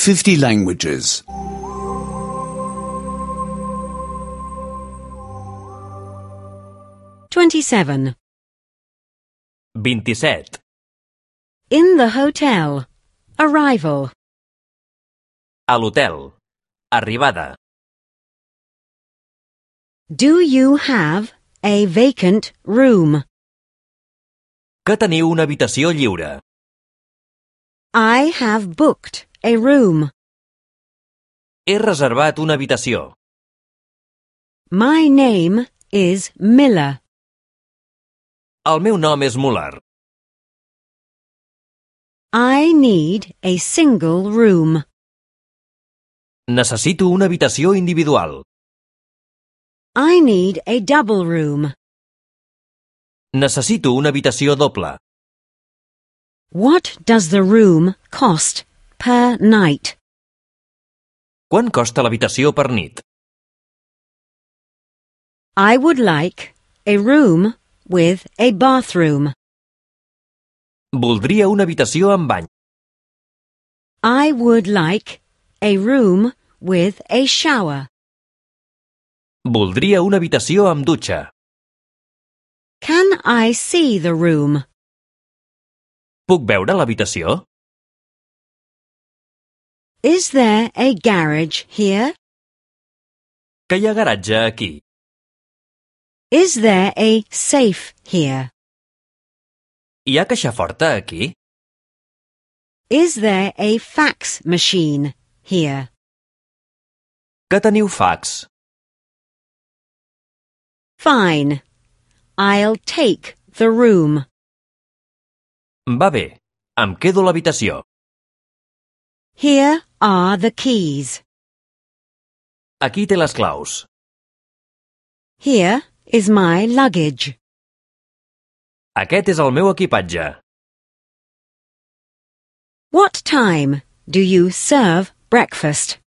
50 languages. 27. 27. In the hotel. Arrival. A l'hotel. Arribada. Do you have a vacant room? Que teniu una habitació lliure. I have booked a room. He reservat una habitació. My name is Miller. El meu nom és Muller. I need a single room. Necessito una habitació individual. I need a double room. Necessito una habitació doble. What does the room cost per night? Quant costa l'habitació per nit? I would like a room with a bathroom. Voldria una habitació amb bany. I would like a room with a shower. Voldria una habitació amb dutxa. Can I see the room? Puc veure l'habitació? Is there a garage here? Que hi ha garatge aquí? Is there a safe here? Hi ha caixa forta aquí? Is there a fax machine here? Que teniu fax? Fine. I'll take the room. Va bé, em quedo l'habitació. Here are the keys. Aquí té les claus. Here is my luggage. Aquest és el meu equipatge. What time do you serve breakfast?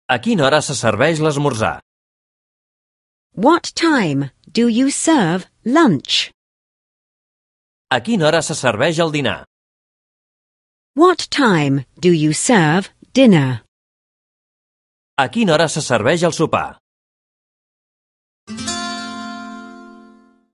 A quina hora se serveix l'esmorzar? What time do you serve lunch? A quina hora se serveix el dinar? What time do you serve dinner? A quina hora se serveix el sopar?